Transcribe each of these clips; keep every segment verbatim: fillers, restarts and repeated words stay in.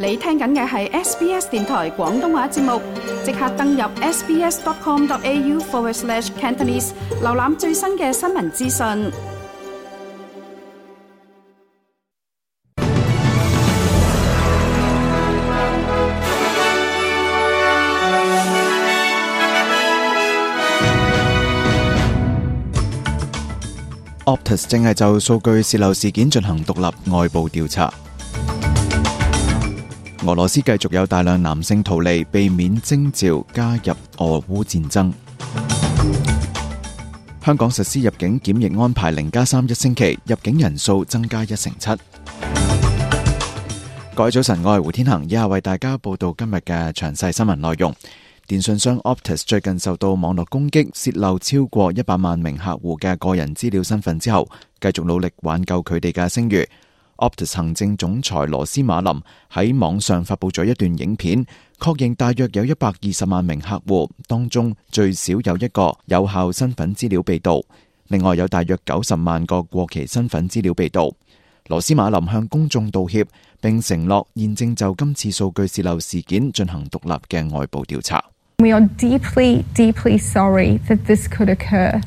你聽緊嘅係 S B S 電台廣東話節目，即刻登入 sbs.com.au forward slash Cantonese， 瀏覽最新嘅新聞資訊。Optus 正係就數據洩漏事件進行獨立外部調查。俄羅斯繼續有大量男性逃離，避免徵召加入俄烏戰爭。香港實施入境檢疫安排零加三一星期，入境人數增加一成七。各位早晨，我係胡天恒，以下為大家報道今日嘅詳細新聞內容。電訊商 Optus 最近受到網絡攻擊，洩漏超過一百萬名客戶嘅個人資料身份之後，繼續努力挽救佢哋嘅聲譽。Optus 行政總裁羅斯馬林喺網上發佈咗一段影片，確認大約有一百二十萬名客戶當中最少有一個有效身份資料被盜，另外有大約九十萬個過期身份資料被盜。羅斯馬林向公眾道歉，並承諾現正就今次數據洩漏事件進行獨立嘅外部調查。We are deeply, deeply sorry that this could occur.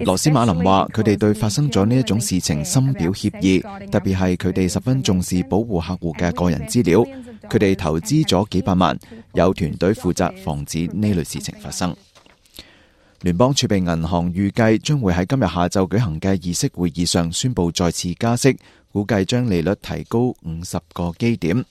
羅斯馬林話：佢哋對發生咗呢一種事情深表歉意，特別係佢哋十分重視保護客戶嘅個人資料。佢哋投資咗幾百萬，有團隊負責防止呢類事情發生。聯邦儲備銀行預計將會喺今日下晝舉行嘅議息會議上宣布再次加息，估計將利率提高五十個基點。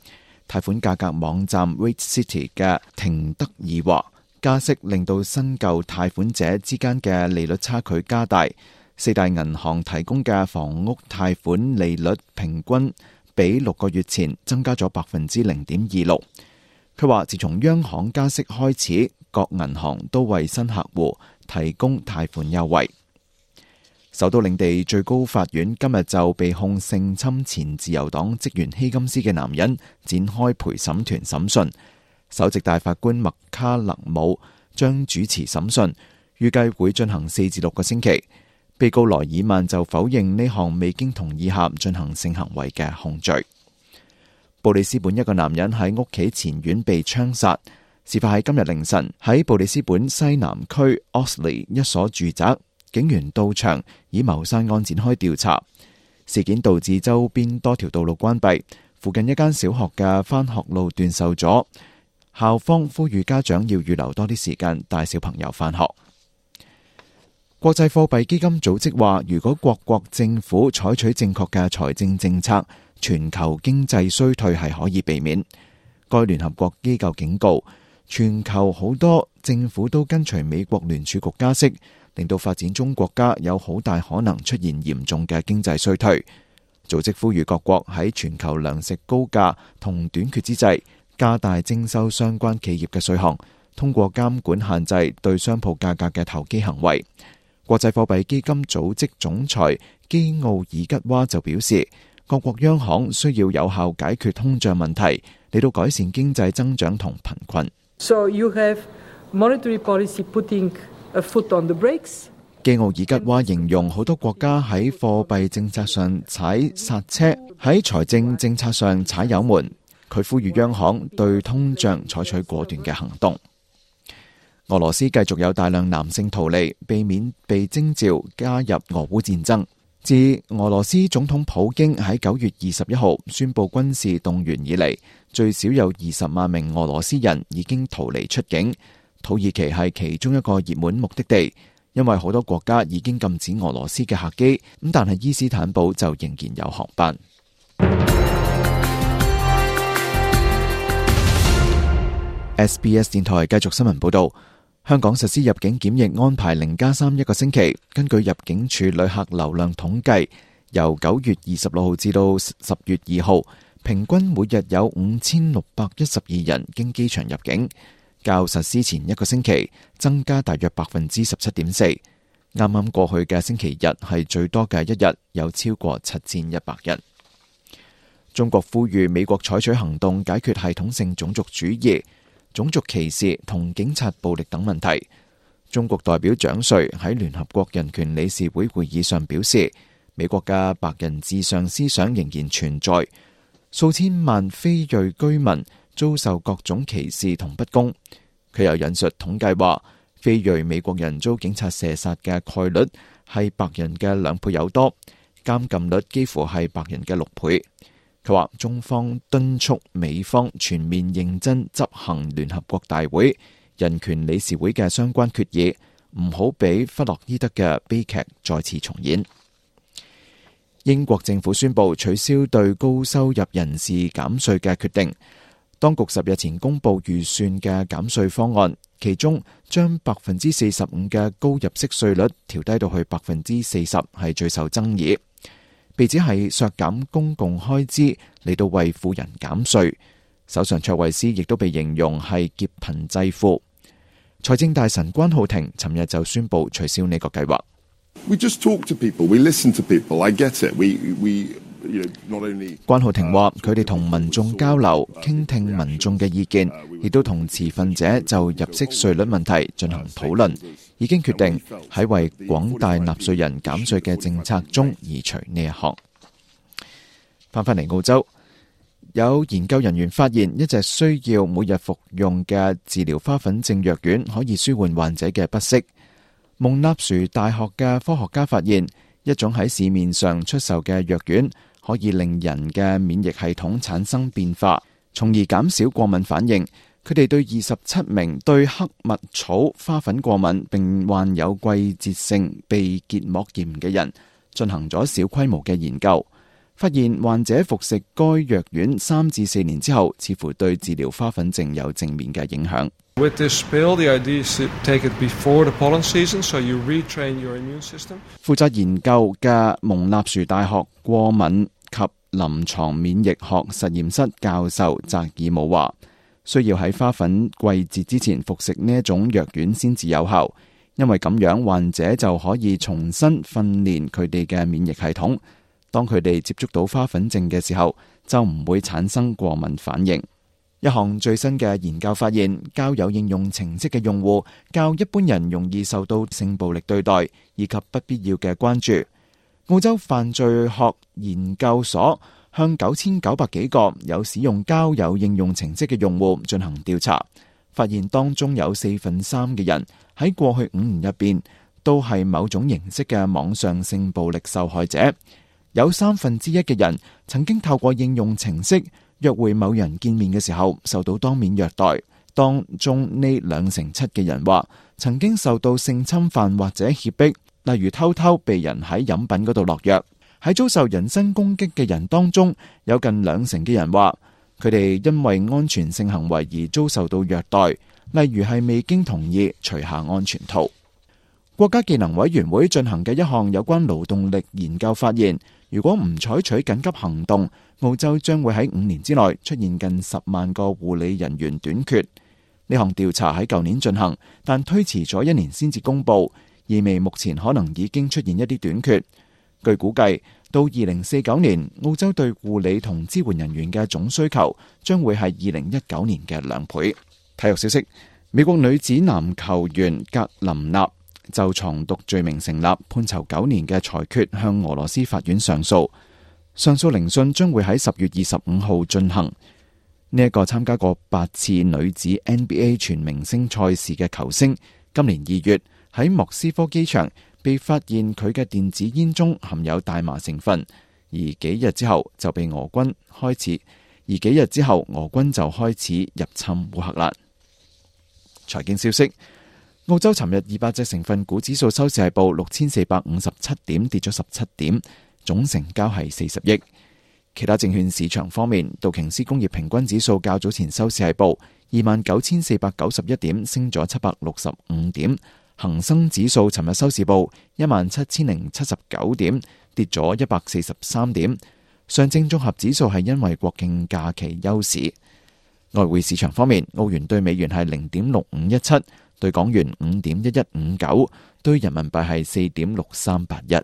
貸款價格網站 Rate City 嘅廷德爾話：加息令到新舊貸款者之間嘅利率差距加大，四大銀行提供嘅房屋貸款利率平均比六個月前增加咗百分之零點二六。佢話自從央行加息開始，各銀行都為新客戶提供貸款優惠。首都領地最高法院今日就被控性侵前自由黨職員希金斯嘅男人展開陪審團審訊。首席大法官麥卡勒姆將主持審訊，預計會進行四至六個星期。被告萊爾曼就否認呢項未經同意下進行性行為嘅控罪。布里斯本一個男人喺屋企前院被槍殺，事發喺今日凌晨喺布里斯本西南區 Oxley 一所住宅，警員到場以謀殺案展開調查。事件導致周邊多條道路關閉，附近一間小學嘅返學路段受阻。校方呼籲家長要預留多啲時間帶小朋友返學。國際貨幣基金組織話，如果各國政府採取正確嘅財政政策，全球經濟衰退係可以避免。該聯合國機構警告，全球好多政府都跟隨美國聯儲局加息，令到發展中國家有好大可能出現嚴重嘅經濟衰退。組織呼籲各國喺全球糧食高價同短缺之際，加大徵收相關企業嘅稅項，通過監管限制對商鋪價格嘅投機行為。國際貨幣基金組織總裁基奧爾吉娃就表示，各國央行需要有效解決通脹問題，嚟到改善經濟增長同貧困。So you have monetary policy putting a foot on the brakes. 基奧爾吉娃形容好多國家喺貨幣政策上踩剎車，喺財政政策上踩油門。佢呼籲央行對通脹採取果斷嘅行動。俄羅斯繼續有大量男性逃離，避免被徵召加入俄烏戰爭。自俄羅斯總統普京喺九月二十一號宣布軍事動員以嚟，最少有二十萬名俄羅斯人已經逃離出境。土耳其係其中一個熱門目的地，因為好多國家已經禁止俄羅斯嘅客機，咁但係伊斯坦堡就仍然有航班。S B S 電台繼續新聞報道，香港實施入境檢疫安排零加三一個星期。根據入境處旅客流量統計，由九月二十六號至到十月二號，平均每日有五千六百一十二人經機場入境，較實施前一個星期增加大約百分之十七點四。啱啱過去嘅星期日係最多嘅一日，有超過七千一百人。中國呼籲美國採取行動解決系統性種族主義、種族歧視同警察暴力等問題。中國代表蔣瑞喺聯合國人權理事會會議上表示，美國嘅白人至上思想仍然存在，數千萬非裔居民遭受各種歧視同不公。佢又引述統計話，非裔美國人遭警察射殺嘅概率係白人嘅兩倍有多，監禁率幾乎係白人嘅六倍。佢話中方敦促美方全面認真執行聯合國大會人權理事會嘅相關決議，唔好俾弗洛伊德嘅悲劇再次重演。英國政府宣布取消對高收入人士減稅嘅決定。當局十日前公布預算嘅減稅方案，其中將百分之四十五嘅高入息稅率調低到去百分之四十，係最受爭議。被指係削減公共開支嚟到為富人減稅。首相卓慧思亦都被形容係劫貧濟富。財政大臣關浩庭尋日就宣布取消呢個計劃。We just talk to people, we listen to people. I get it. We we you know not only 關浩庭話，佢哋同民眾交流，傾聽民眾嘅意見，亦都同持份者就入息稅率問題進行討論，已經決定喺為廣大納稅人減稅嘅政策中移除呢一項。翻返嚟澳洲，有研究人員發現一隻需要每日服用嘅治療花粉症藥丸可以舒緩患者嘅不適。蒙納殊大學嘅科學家發現，一種喺市面上出售嘅藥丸可以令人嘅免疫系統產生變化，從而減少過敏反應。佢哋對二十七名對黑蜜草花粉過敏並患有季節性鼻結膜炎嘅人進行咗小規模嘅研究，發現患者服食該藥丸三至四年之後，似乎對治療花粉症有正面嘅影響。With this pill, the idea is to take it before the pollen season, so you retrain your immune system. 負責研究嘅蒙納殊大學過敏及臨床免疫學實驗室教授澤爾姆話，需要喺花粉季節之前服食呢一種藥丸先至有效，因為咁樣患者就可以重新訓練佢哋嘅免疫系統。當佢哋接觸到花粉症嘅時候，就唔會產生過敏反應。一項最新嘅研究發現，交友應用程式嘅用戶較一般人容易受到性暴力對待以及不必要嘅關注。澳洲犯罪學研究所向九千九百幾個有使用交友應用程式嘅用戶進行調查，發現當中有四分三嘅人喺過去五年入邊都係某種形式嘅網上性暴力受害者。有三分之一嘅人曾經透過應用程式約會某人見面嘅時候受到當面虐待，當中呢兩成七嘅人話曾經受到性侵犯或者脅迫，例如偷偷被人喺飲品嗰度落藥。喺遭受人身攻擊嘅人當中，有近兩成嘅人話佢哋因為安全性行為而遭受到虐待，例如係未經同意除下安全套。國家技能委員會進行嘅一項有關勞動力研究發現，如果唔採取緊急行動，澳洲將會喺五年之內出現近十萬個護理人員短缺。呢項調查喺舊年進行，但推遲咗一年先至公佈，意味目前可能已經出現一啲短缺。據估計，到二零四九年，澳洲對護理同支援人員嘅總需求將會係二零一九年嘅兩倍。體育消息：美國女子籃球員格林納就藏毒罪名成立，判囚九年嘅裁決向俄羅斯法院上訴。上訴聆訊將會喺十月二十五號進行。呢一個參加過八次女子 N B A 全明星賽事嘅球星，今年二月喺莫斯科機場被發現佢嘅電子煙中含有大麻成分，而幾日之後就被俄軍開始，而幾日之後俄軍就開始入侵烏克蘭。財經消息：澳洲尋日二百隻成分股指數收市係報六千四百五十七點，跌咗十七點，總成交係四十億。其他證券市場方面，道瓊斯工業平均指數較早前收市係報二萬九千四百九十一點，升咗七百六十五點。恒生指數尋日收市報一萬七千零七十九點，跌咗一百四十三點。上證綜合指數係因為國慶假期休市。外匯市場方面，澳元對美元係零點六五一七，對港元五點一一五九，對人民幣係四點六三八一。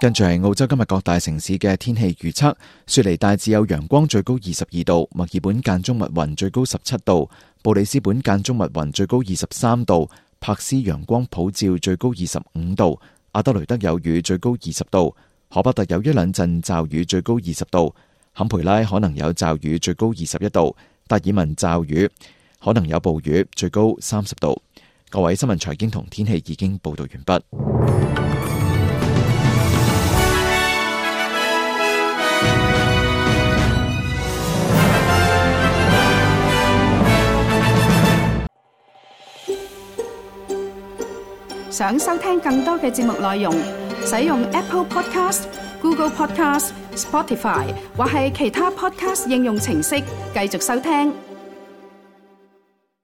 跟住係澳洲今日各大城市嘅天氣預測：雪梨大致有陽光，最高二十二度；墨爾本間中密雲，最高十七度；布里斯本間中密雲，最高二十三度；柏斯陽光普照，最高二十五度；阿德雷德有雨，最高二十度；荷伯特有一兩陣驟雨，最高二十度；坎培拉可能有驟雨，最高二十一度；達爾文驟雨，可能有暴雨，最高三十度。各位，新聞財經同天氣已經報道完畢。想收聽更多嘅節目內容，使用 Apple Podcast、Google Podcast、Spotify 或係其他 Podcast 應用程式繼續收聽。